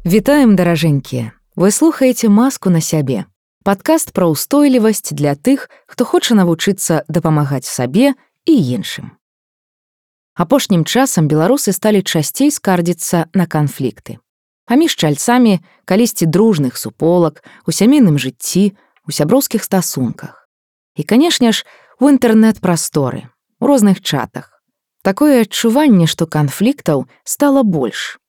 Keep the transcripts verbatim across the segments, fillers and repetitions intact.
Вітаем, даражэнькія! Вы слухаеце «Маску на сябе» – падкаст пра ўстойлівасць для тых, хто хоча навучыцца дапамагаць сабе і іншым. Апошнім часам беларусы сталі часцей скардзіцца на канфлікты. Паміж чальцамі калісьці дружных суполак, у сямейным жыцці, у сяброўскіх стасунках. І, канешне ж, у інтэрнэт-прасторы, у розных чатах. Такое адчуванне, што канфліктаў стала больш.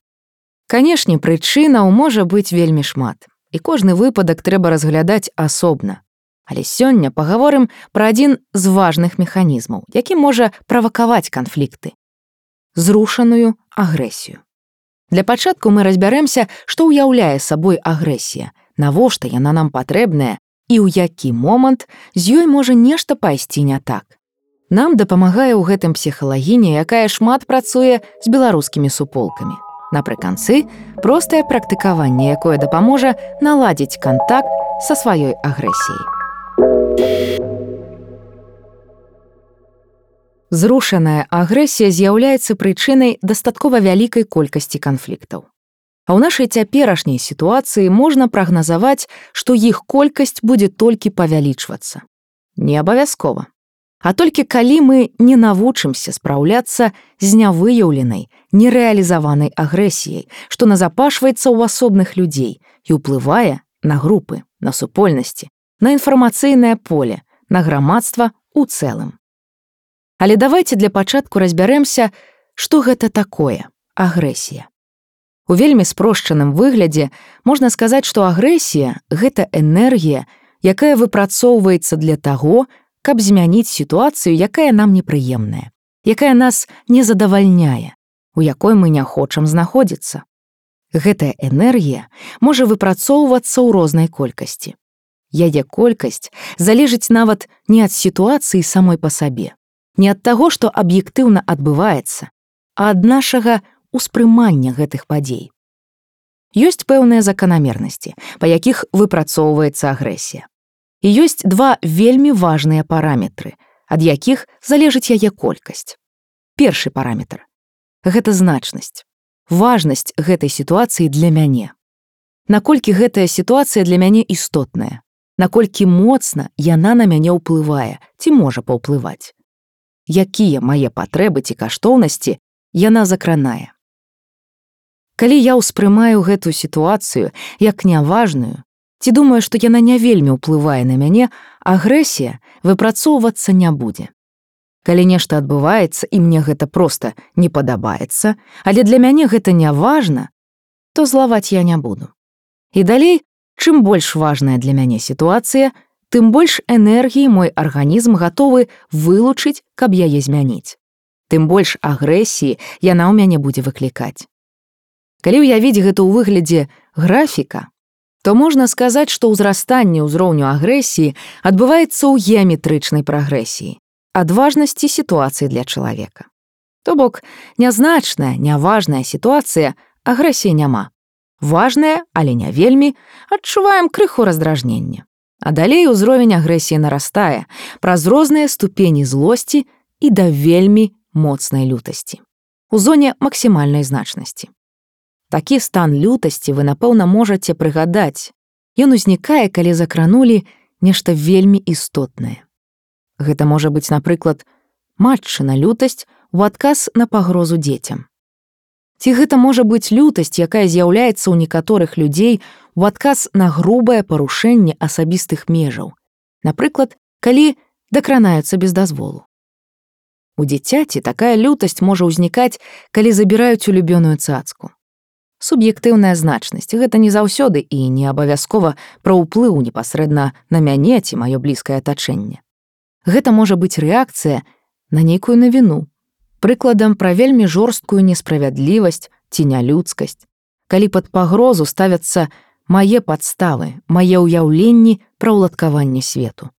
Канешне, прычынаў можа быць вельмі шмат, і кожны выпадак трэба разглядаць асобна. Але сёння пагаворым пра адзін з важных механізмаў, які можа правакаваць канфлікты – зрушаную агрэсію. Для пачатку мы разбярэмся, што ўяўляе сабой агрэсія, навошта яна нам патрэбная і ў які момант з ёй можа нешта пайсці не так. Нам дапамагае ў гэтым псіхалагіня, якая шмат працуе з беларускімі суполкамі. Напрыканцы, простае практыкаванне, якое дапаможа наладзіць кантакт са сваёй агрэсіяй. Зрушаная агрэсія з'яўляецца прычынай дастаткова вялікай колькасці канфліктаў. А ў нашай цяперашняй сітуацыі можна прагназаваць, што іх колькасць будзе толькі павялічвацца. Не абавязкова. А толькі калі мы не навучымся спраўляцца з нявыяўленай, нерэалізаванай агрэсіяй, што назапашваецца ў асобных людзей і ўплывае на групы, на супольнасці, на інфармацыйнае поле, на грамадства ў цэлым. Але давайце для пачатку разбярэмся, што гэта такое агрэсія. У вельмі спрошчаным выглядзе можна сказаць, што агрэсія – гэта энергія, якая выпрацоўваецца для таго, каб змяніць сітуацыю, якая нам непрыемная, якая нас не задавальняе, у якой мы не хочам знаходзіцца. Гэтая энергія можа выпрацоўвацца ў рознай колькасці. Яе колькасць залежыць нават не ад сітуацыі самой па сабе, не ад таго, што аб'ектыўна адбываецца, а ад нашага ўспрымання гэтых падзей. Ёсць пэўныя заканамернасці, па якіх выпрацоўваецца агрэсія. І ёсць два вельмі важныя параметры, ад якіх залежыць яе колькасць. Першы параметр – гэта значнасць, важнасць гэтай сітуацыі для мяне. Наколькі гэтая сітуацыя для мяне істотная, наколькі моцна яна на мяне ўплывае ці можа паўплываць. Якія мае патрэбы ці каштоўнасці яна закранае. Калі я ўспрымаю гэту сітуацыю як няважную, ці думаю, што яна не вельмі ўплывае на мяне, агрэсія выпрацоўвацца не будзе. Калі нешта адбываецца, і мне гэта проста не падабаецца, але для мяне гэта не важна, то злаваць я не буду. І далей, чым больш важная для мяне сітуацыя, тым больш энергіі мой арганізм гатовы вылучыць, каб яе змяніць. Тым больш агрэсіі яна ў мяне будзе выклікаць. Калі ўявіць гэта ў выглядзе графіка, то можна сказаць, што ўзрастанне ўзроўню агрэсіі адбываецца ў геаметрычнай прагрэсіі, ад важнасці сітуацыі для чалавека. То бок, нязначная, няважная сітуацыя, агрэсіі няма. Важная, але не вельмі, адчуваем крыху раздражнення. А далей узровень агрэсіі нарастае праз розныя ступені злосці і да вельмі моцнай лютасці. У зоне максімальнай значнасці. Такі стан лютасці вы, напэўна, можаце прыгадаць. Ён узнікае, калі закранулі нешта вельмі істотнае. Гэта можа быць, напрыклад, матчына лютасць у адказ на пагрозу дзецям. Ці гэта можа быць лютасць, якая з'яўляецца ў некаторых людзей у адказ на грубае парушэнне асабістых межаў. Напрыклад, калі дакранаюцца без дазволу. У дзіцяці такая лютасць можа ўзнікаць, калі забіраюць улюбёную цацку. Суб'ектыўная значнасць – гэта не заўсёды і не абавязкова пра ўплыў непасрэдна на мяне ці маё блізкае атачэнне. Гэта можа быць рэакцыя на нейкую навіну, прыкладам пра вельмі жорсткую несправядлівасць ці нялюдскасць, калі пад пагрозу ставяцца мае падставы, мае ўяўленні пра ўладкаванне свету.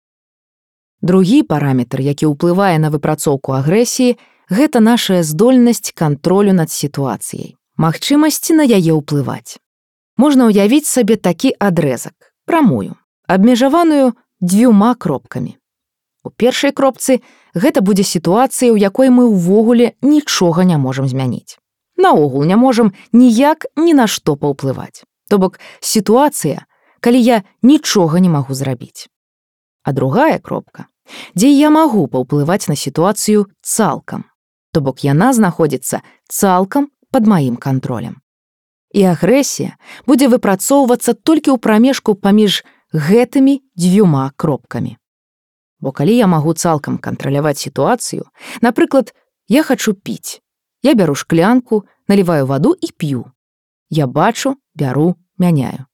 Другі параметр, які ўплывае на выпрацоўку агрэсіі, гэта наша здольнасць кантролю над сітуацыяй, Магчымасці на яе ўплываць. Можна ўявіць сабе такі адрэзак, прамую, абмежаваную дзвюма кропкамі. У першай кропцы гэта будзе сітуацыя, у якой мы ўвогуле нічога не можам змяніць. Наогул не можам ніяк ні на што паўплываць. То бок сітуацыя, калі я нічога не магу зрабіць. А другая кропка, дзе я магу паўплываць на сітуацыю цалкам. То бок яна знаходзіцца цалкам пад маім кантролем. І агрэсія будзе выпрацоўвацца толькі ў прамежку паміж гэтымі дзвюма кропкамі. Бо калі я магу цалкам кантраляваць сітуацыю, напрыклад, я хачу піць. Я бяру шклянку, наліваю ваду і п'ю. Я бачу, бяру, мяняю.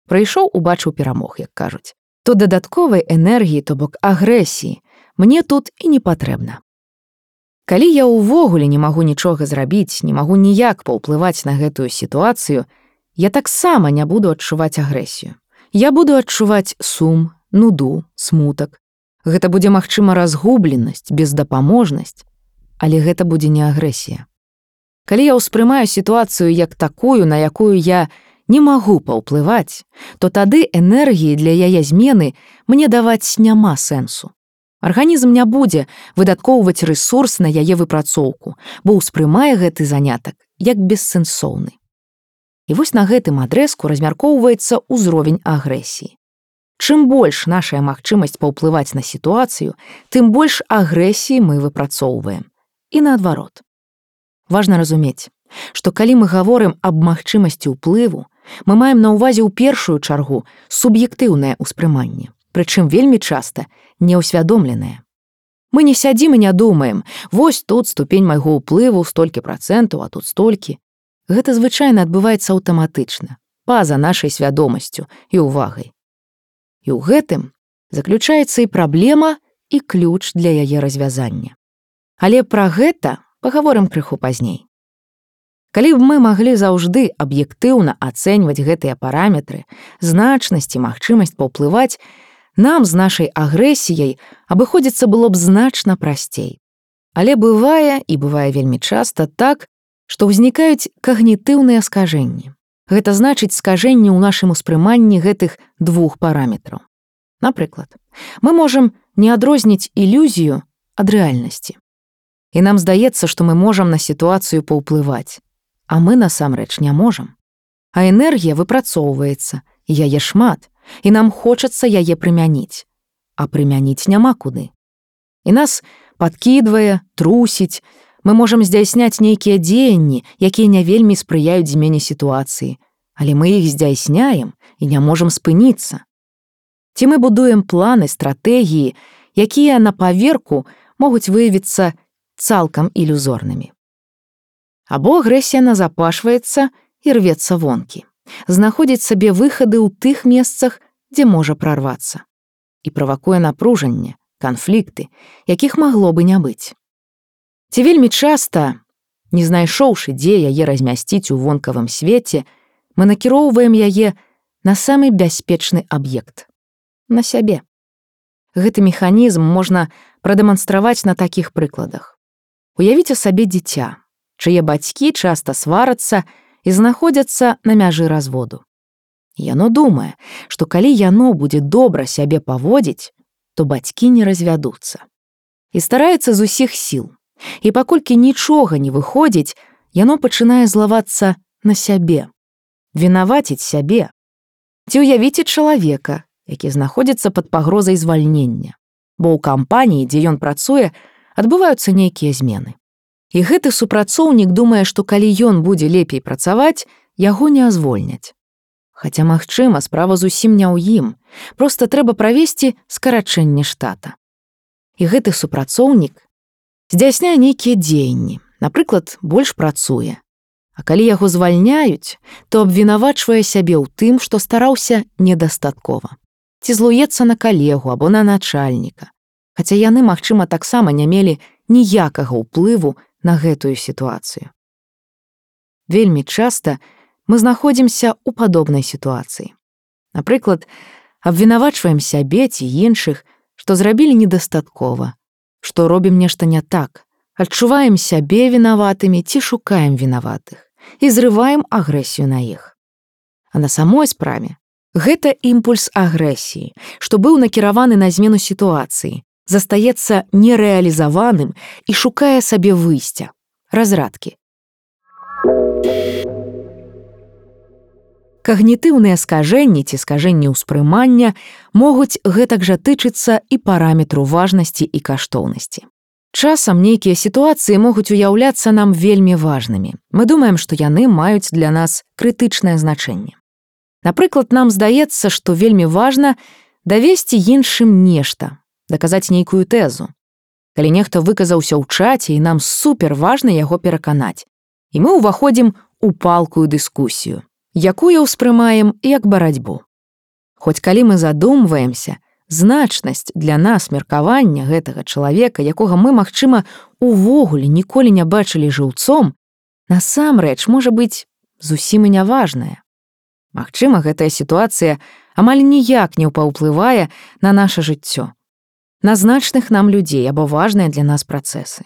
Прыйшоў, убачыў, перамог, як кажуць. То дадатковай энергіі, то бок агрэсіі, мне тут і не патрэбна. Калі я ўвогуле не магу нічога зрабіць, не магу ніяк паўплываць на гэтую сітуацыю, я таксама не буду адчуваць агрэсію. Я буду адчуваць сум, нуду, смутак. Гэта будзе, магчыма, разгубленасць, бездапаможнасць, але гэта будзе не агрэсія. Калі я ўспрымаю сітуацыю як такую, на якую я не магу паўплываць, то тады энергіі для яе змены мне даваць няма сэнсу. Арганізм не будзе выдаткоўваць рэсурс на яе выпрацоўку, бо ўспрымае гэты занятак як бессэнсоўны. І вось на гэтым адрэзку размяркоўваецца ўзровень агрэсіі. Чым больш нашая магчымасць паўплываць на сітуацыю, тым больш агрэсіі мы выпрацоўваем. І наадварот. Важна разумець, што калі мы гаворым аб магчымасці ўплыву, мы маем на ўвазе ў першую чаргу суб'ектыўнае ўспрыманне, прычым вельмі часта неўсвядомленае. Мы не сядзім і не думаем, вось тут ступень майго ўплыву столькі працэнтаў, а тут столькі. Гэта звычайна адбываецца аўтаматычна, па-за нашай свядомасцю і ўвагай. І ў гэтым заключаецца і праблема, і ключ для яе развязання. Але пра гэта пагаворым крыху пазней. Калі б мы маглі заўжды аб'ектыўна ацэньваць гэтыя параметры, значнасць і магчымасць паўплываць, нам з нашай агрэсіяй абыходзіцца было б значна прасцей. Але бывае, і бывае вельмі часта так, што ўзнікаюць когнітыўныя скажэнні. Гэта значыць скажэнні ў нашым успрыманні гэтых двух параметраў. Напрыклад, мы можам не адрозніць ілюзію ад рэальнасці. І нам здаецца, што мы можам на сітуацыю паўплываць, а мы насамрэч не можам. А энергія выпрацоўваецца, і яе шмат, і нам хочацца яе прымяніць. А прымяніць няма куды. І нас падкідвае, трусіць, мы можам здзяйсняць нейкія дзеянні, якія не вельмі спрыяюць змене сітуацыі, але мы іх здзяйсняем і не можам спыніцца. Ці мы будуем планы, стратэгіі, якія на паверку могуць выявіцца цалкам ілюзорнымі. Або агрэсія назапашваецца і рвецца вонкі, знаходзіць сабе выхады ў тых месцах, дзе можа прарвацца, і правакуе напружанне, канфлікты, якіх магло бы не быць. Ці вельмі часта, не знайшоўшы, дзе яе размясціць у вонкавым свеце, мы накіроўваем яе на самы бяспечны аб'ект — на сябе. Гэты механізм можна прадэманстраваць на такіх прыкладах. Уявіце сабе дзіця, чые бацькі часта сварацца і знаходзяцца на мяжы разводу. Яно думае, што калі яно будзе добра сябе паводзіць, то бацькі не развядуцца. І стараецца з усіх сіл. І паколькі нічога не выходзіць, яно пачынае злавацца на сябе, вінаваціць сябе. Ці ўявіце чалавека, які знаходзіцца пад пагрозай звальнення, бо ў кампаніі, дзе ён працуе, адбываюцца нейкія змены. І гэты супрацоўнік думае, што калі ён будзе лепей працаваць, яго не звольняць. Хаця, магчыма, справа зусім не ў ім, проста трэба правесці скарачэнне штата. І гэты супрацоўнік здзяйсняе нейкія дзеянні, напрыклад, больш працуе. А калі яго звальняюць, то абвінавачвае сябе ў тым, што стараўся недастаткова. Ці злуецца на калегу або на начальніка, хаця яны, магчыма, таксама не мелі ніякага ўплыву на гэтую сітуацыю. Вельмі часта мы знаходзімся ў падобнай сітуацыі. Напрыклад, абвінавачваем сябе ці іншых, што зрабілі недастаткова, што робім нешта не так, адчуваем сябе вінаватымі ці шукаем вінаватых, і зрываем агрэсію на іх. А на самой справе гэта імпульс агрэсіі, што быў накіраваны на змену сітуацыі, застаецца нерэалізаваным і шукае сабе выйсця, разрадкі. Когнітыўныя скажэнні ці скажэнні ўспрымання могуць гэтак жа тычыцца і параметру важнасці і каштоўнасці. Часам нейкія сітуацыі могуць уяўляцца нам вельмі важнымі. Мы думаем, што яны маюць для нас крытычнае значэнне. Напрыклад, нам здаецца, што вельмі важна давесці іншым нешта, даказаць нейкую тэзу. Калі нехта выказаўся ў чаце, і нам супер важна яго пераканаць. І мы ўваходзім у палкую дыскусію, якую ўспрымаем як барацьбу. Хоць калі мы задумваемся, значнасць для нас меркавання гэтага чалавека, якога мы, магчыма, увогуле ніколі не бачылі жыўцом, насамрэч можа быць зусім і няважная. Магчыма, гэтая сітуацыя амаль ніяк не паўплывае на наша жыццё, на значных нам людзей або важныя для нас працэсы.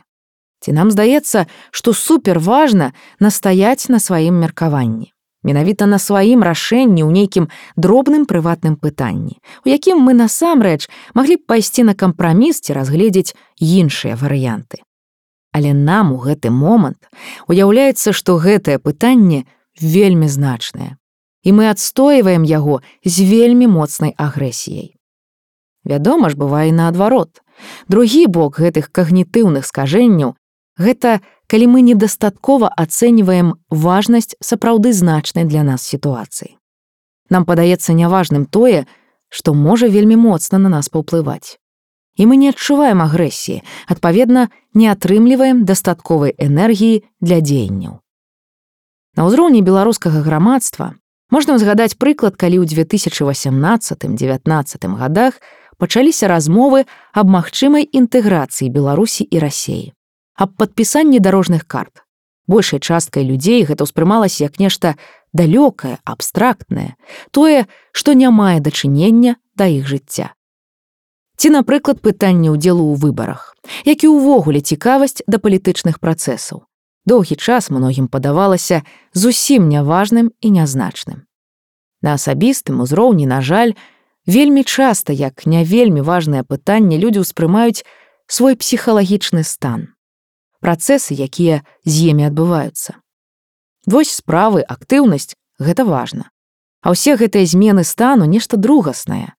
Ці нам здаецца, што супер важна настаяць на сваім меркаванні, менавіта на сваім рашэнні ў нейкім дробным прыватным пытанні, у якім мы насамрэч маглі б пайсці на кампраміс ці разгледзець іншыя варыянты. Але нам у гэты момант уяўляецца, што гэтае пытанне вельмі значнае, і мы адстойваем яго з вельмі моцнай агрэсіяй. Вядома ж, бывае і наадварот. Другі бок гэтых когнітыўных скажэнняў – гэта калі мы недастаткова ацэньваем важнасць сапраўды значнай для нас сітуацыі. Нам падаецца няважным тое, што можа вельмі моцна на нас паўплываць. І мы не адчуваем агрэсіі, адпаведна, не атрымліваем дастатковай энергіі для дзеянняў. На ўзроўні беларускага грамадства можна ўзгадаць прыклад, калі ў дзве тысячы васямнаццатым — дзевятнаццатым гадах пачаліся размовы аб магчымай інтэграцыі Беларусі і Расіі, аб падпісанні дарожных карт. Большай часткай людзей гэта ўспрымалася як нешта далёкае, абстрактнае, тое, што не мае дачынення да іх жыцця. Ці, напрыклад, пытанне ўдзелу ў выбарах, як і ўвогуле цікавасць да палітычных працэсаў. Доўгі час многім падавалася зусім няважным і нязначным. На асабістым узроўні, на жаль, вельмі часта, як не вельмі важнае пытанне, людзі ўспрымаюць свой псіхалагічны стан, працэсы, якія з імі адбываюцца. Вось справы, актыўнасць – гэта важна. А ўсе гэтыя змены стану нешта другаснае.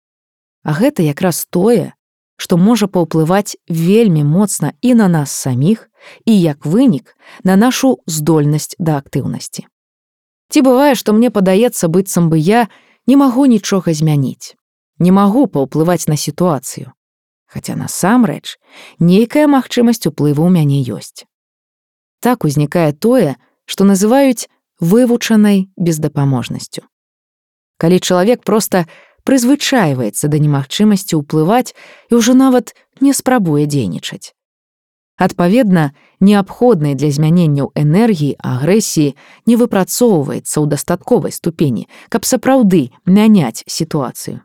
А гэта якраз тое, што можа паўплываць вельмі моцна і на нас саміх, і, як вынік, на нашу здольнасць да актыўнасці. Ці бывае, што мне падаецца, быццам бы я не магу нічога змяніць, не магу паўплываць на сітуацыю, хаця насамрэч нейкая магчымасць уплыву ў мяне ёсць. Так узнікае тое, што называюць вывучанай бездапаможнасцю. Калі чалавек проста прызвычайваецца да немагчымасці ўплываць і ўжо нават не спрабуе дзейнічаць. Адпаведна, неабходнай для змяненняў энергіі, агрэсіі не выпрацоўваецца ў дастатковай ступені, каб сапраўды мяняць сітуацыю.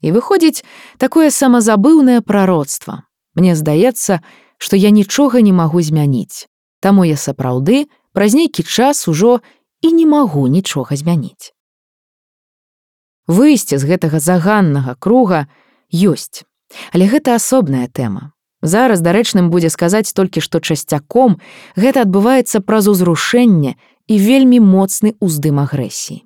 І выходзіць такое самазабыўнае прароцтва. Мне здаецца, што я нічога не магу змяніць, таму я сапраўды праз нейкі час ужо і не магу нічога змяніць. Выйсце з гэтага заганнага круга ёсць, але гэта асобная тэма. Зараз дарэчным будзе сказаць толькі, што часцяком гэта адбываецца праз узрушэнне і вельмі моцны ўздым агрэсіі.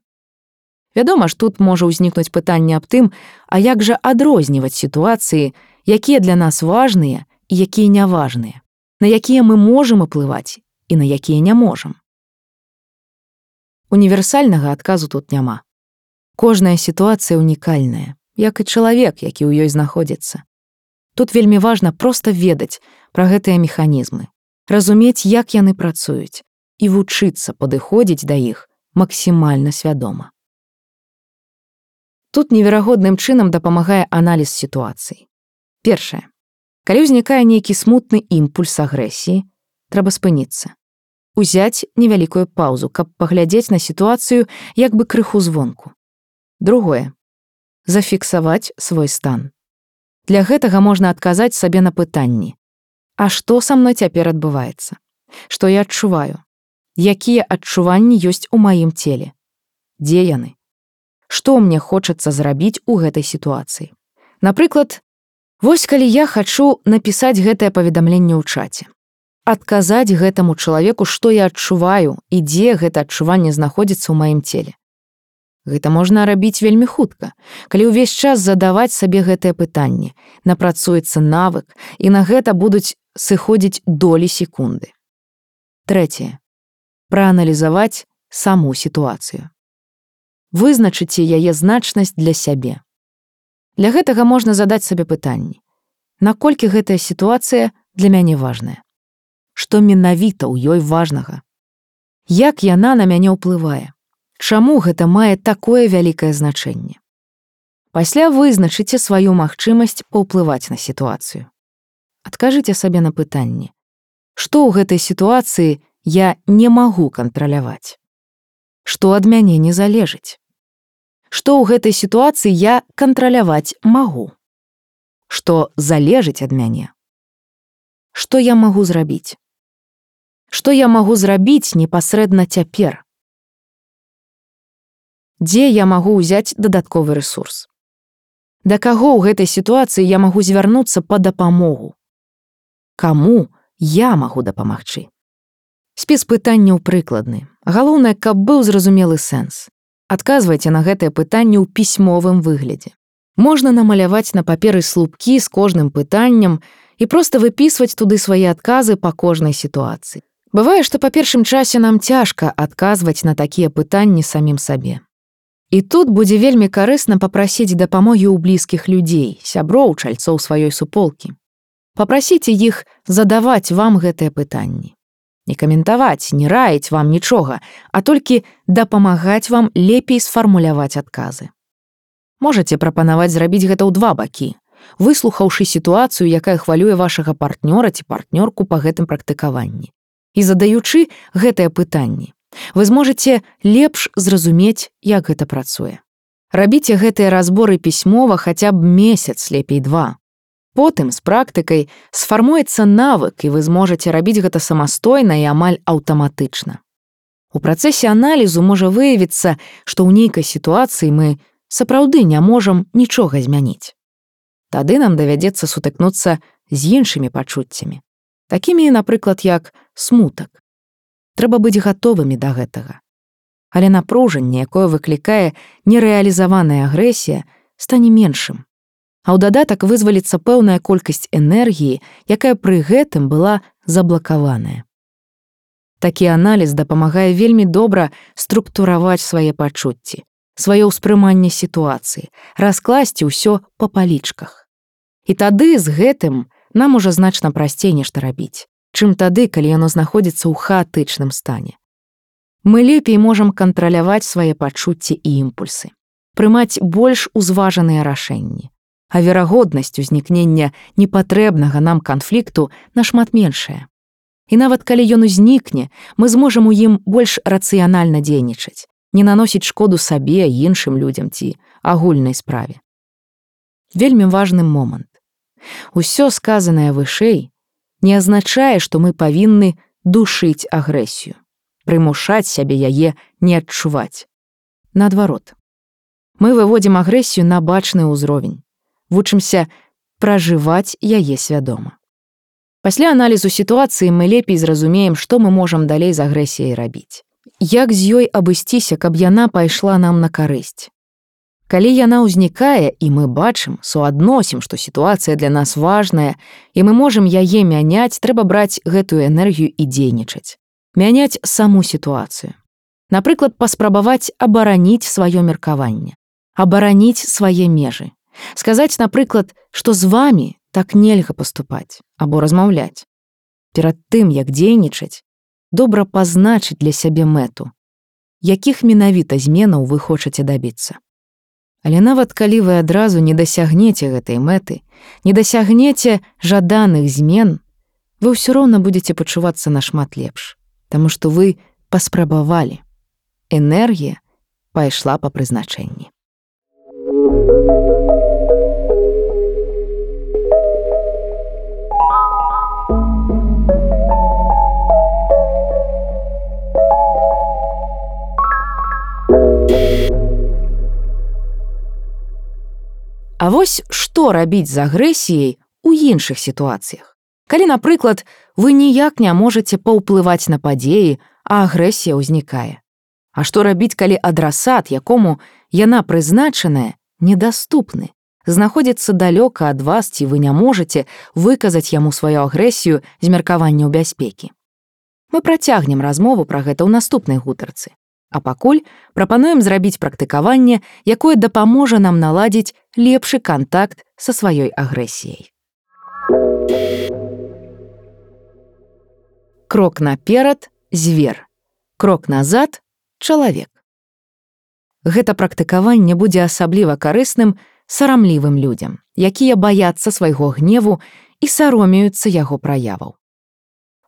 Вядома ж, тут можа ўзнікнуць пытанне аб тым, а як жа адрозніваць сітуацыі, якія для нас важныя і якія няважныя, на якія мы можам уплываць і на якія не можам. Універсальнага адказу тут няма. Кожная сітуацыя унікальная, як і чалавек, які ў ёй знаходзіцца. Тут вельмі важна проста ведаць пра гэтыя механізмы, разумець, як яны працуюць, і вучыцца падыходзіць да іх максімальна свядома. Тут неверагодным чынам дапамагае аналіз сітуацыі. Першае. Калі ўзнікае нейкі смутны імпульс агрэсіі, трэба спыніцца. Узяць невялікую паўзу, каб паглядзець на сітуацыю як бы крыху звонку. Другое. Зафіксаваць свой стан. Для гэтага можна адказаць сабе на пытанні. А што са мной цяпер адбываецца? Што я адчуваю? Якія адчуванні ёсць у маім целе? Дзе яны? Што мне хочацца зрабіць у гэтай сітуацыі? Напрыклад, вось калі я хачу напісаць гэтае паведамленне ў чаце. Адказаць гэтаму чалавеку, што я адчуваю і дзе гэта адчуванне знаходзіцца ў маім целе. Гэта можна рабіць вельмі хутка, калі ўвесь час задаваць сабе гэтае пытанне, напрацуецца навык, і на гэта будуць сыходзіць долі секунды. Трэцяе. Прааналізаваць саму сітуацыю. Вызначыце яе значнасць для сябе. Для гэтага можна задаць сабе пытанні. Наколькі гэтая сітуацыя для мяне важная? Што менавіта ў ёй важнага? Як яна на мяне ўплывае? Чаму гэта мае такое вялікае значэнне? Пасля вызначыце сваю магчымасць паўплываць на сітуацыю. Адкажыце сабе на пытанне. Што ў гэтай сітуацыі я не магу кантраляваць? Што ад мяне не залежыць? Што ў гэтай сітуацыі я кантраляваць магу? Што залежыць ад мяне? Што я магу зрабіць? Што я магу зрабіць непасрэдна цяпер? Дзе я магу ўзяць дадатковы рэсурс? Да каго ў гэтай сітуацыі я магу звярнуцца па дапамогу? Каму я магу дапамагчы? Спіс пытанняў прыкладны. Галоўнае, каб быў зразумелы сэнс. Адказвайце на гэтае пытанне ў пісьмовым выглядзе. Можна намаляваць на паперы слупкі з кожным пытаннем і проста выпісваць туды свае адказы па кожнай сітуацыі. Бывае, што па першым часе нам цяжка адказваць на такія пытанні самім сабе. І тут будзе вельмі карысна папрасіць дапамогі ў блізкіх людзей, сяброў, чальцоў сваёй суполкі. Папрасіце іх задаваць вам гэтыя пытанні. Не каментаваць, не раіць вам нічога, а толькі дапамагаць вам лепей сфармуляваць адказы. Можаце прапанаваць зрабіць гэта ў два бакі, выслухаўшы сітуацыю, якая хвалюе вашага партнёра ці партнёрку па гэтым практыкаванні. І задаючы гэтыя пытанні, вы зможаце лепш зразумець, як гэта працуе. Рабіце гэтыя разборы пісьмова хаця б месяц, лепей два. Потым з практыкай сфармуецца навык, і вы зможаце рабіць гэта самастойна і амаль аўтаматычна. У працэсе аналізу можа выявіцца, што ў нейкай сітуацыі мы сапраўды не можам нічога змяніць. Тады нам давядзецца сутыкнуцца з іншымі пачуццямі. Такімі, напрыклад, як смутак. Трэба быць гатовымі да гэтага. Але напружанне, якое выклікае нерэалізаваная агрэсія, стане меншым. А ў дадатак вызваліцца пэўная колькасць энергіі, якая пры гэтым была заблакаваная. Такі аналіз дапамагае вельмі добра структураваць свае пачуцці, сваё ўспрыманне сітуацыі, раскласці ўсё па палічках. І тады з гэтым нам ужо значна прасцей нешта рабіць, чым тады, калі яно знаходзіцца ў хаатычным стане. Мы лепей можам кантраляваць свае пачуцці і імпульсы, прымаць больш узважаныя рашэнні, а верагоднасць узнікнення непатрэбнага нам канфлікту нашмат меншая. І нават калі ён узнікне, мы зможам у ім больш рацыянальна дзейнічаць, не наносіць шкоду сабе, іншым людзям ці агульнай справе. Вельмі важны момант. Усё сказанае вышэй не азначае, што мы павінны душыць агрэсію, прымушаць сябе яе не адчуваць. Наадварот, мы выводзім агрэсію на бачны ўзровень, вучымся пражываць яе свядома. Пасля аналізу сітуацыі мы лепей зразумеем, што мы можам далей з агрэсіяй рабіць. Як з ёй абысціся, каб яна пайшла нам на карысць. Калі яна ўзнікае, і мы бачым, суадносім, што сітуацыя для нас важная, і мы можам яе мяняць, трэба браць гэтую энергію і дзейнічаць. Мяняць саму сітуацыю. Напрыклад, паспрабаваць абараніць сваё меркаванне, абараніць свае межы. Сказаць, напрыклад, што з вамі так нельга паступаць або размаўляць. Перад тым, як дзейнічаць, добра пазначыць для сябе мэту, якіх менавіта зменаў вы хочаце дабіцца. Але нават калі вы адразу не дасягнеце гэтай мэты, не дасягнеце жаданых змен, вы ўсё роўна будзеце пачувацца нашмат лепш, таму што вы паспрабавалі. Энергія пайшла па прызначэнні. А вось што рабіць з агрэсіяй у іншых сітуацыях? Калі, напрыклад, вы ніяк не можаце паўплываць на падзеі, а агрэсія ўзнікае. А што рабіць, калі адрасат, якому яна прызначаная, недаступны, знаходзіцца далёка ад вас, ці вы не можаце выказаць яму сваю агрэсію з меркаванняў бяспекі? Мы працягнем размову пра гэта ў наступнай гутарцы. А пакуль прапануем зрабіць практыкаванне, якое дапаможа нам наладзіць лепшы кантакт са сваёй агрэсіяй. Крок наперад – звер. Крок назад – чалавек. Гэта практыкаванне будзе асабліва карысным сарамлівым людзям, якія баяцца свайго гневу і саромеюцца яго праяваў.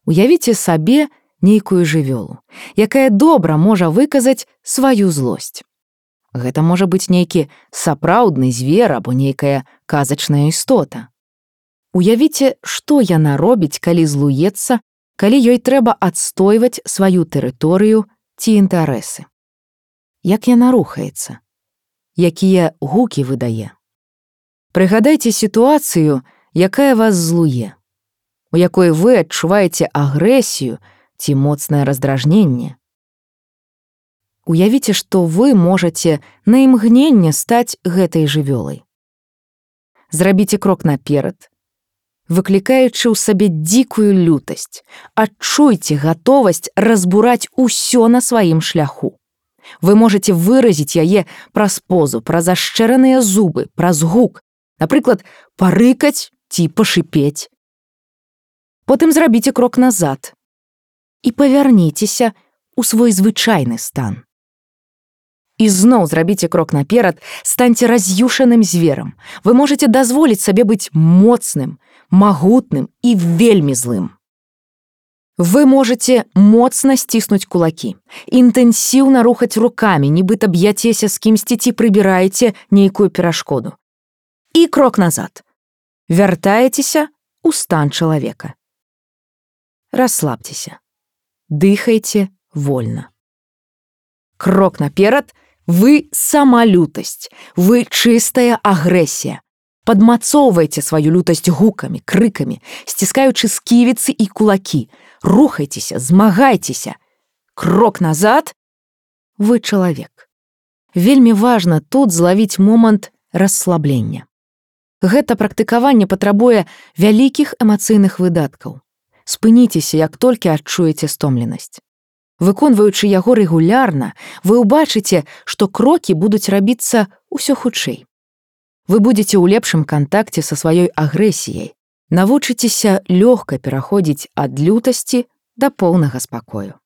Уявіце сабе нейкую жывёлу, якая добра можа выказаць сваю злосць. Гэта можа быць нейкі сапраўдны звер або нейкая казачная істота. Уявіце, што яна робіць, калі злуецца, калі ёй трэба адстойваць сваю тэрыторыю ці інтарэсы. Як яна рухаецца? Якія гукі выдае? Прыгадайце сітуацыю, якая вас злуе, у якой вы адчуваеце агрэсію ці моцнае раздражненне. Уявіце, што вы можаце на імгненне стаць гэтай жывёлай. Зрабіце крок наперад, выклікаючы ў сабе дзікую лютасць, адчуйце гатовасць разбураць усё на сваім шляху. Вы можаце выразіць яе праз позу, праз ашчэраныя зубы, праз гук, напрыклад, парыкаць ці пашыпець. Потым зрабіце крок назад і павярніцеся ў свой звычайны стан. І зноў зрабіце крок наперад, станьце раз'юшаным зверам. Вы можаце дазволіць сабе быць моцным, магутным і вельмі злым. Вы можаце моцна сціснуць кулакі, інтэнсіўна рухаць рукамі, нібыта б'яцеся з кімсьці ці прыбіраеце нейкую перашкоду. І крок назад. Вяртаецеся ў стан чалавека. Расслабьтеся. Дыхайце вольна. Крок наперад – вы сама лютасць, вы чыстая агрэсія. Падмацоўвайце сваю лютасць гукамі, крыкамі, сціскаючы сківіцы і кулакі. Рухайцеся, змагайцеся. Крок назад – вы чалавек. Вельмі важна тут злавіць момант расслаблення. Гэта практыкаванне патрабуе вялікіх эмацыйных выдаткаў. Спыніцеся, як толькі адчуеце стомленасць. Выконваючы яго рэгулярна, вы ўбачыце, што крокі будуць рабіцца ўсё хутчэй. Вы будзеце ў лепшым кантакце са сваёй агрэсіяй, навучыцеся лёгка пераходзіць ад лютасці да поўнага спакою.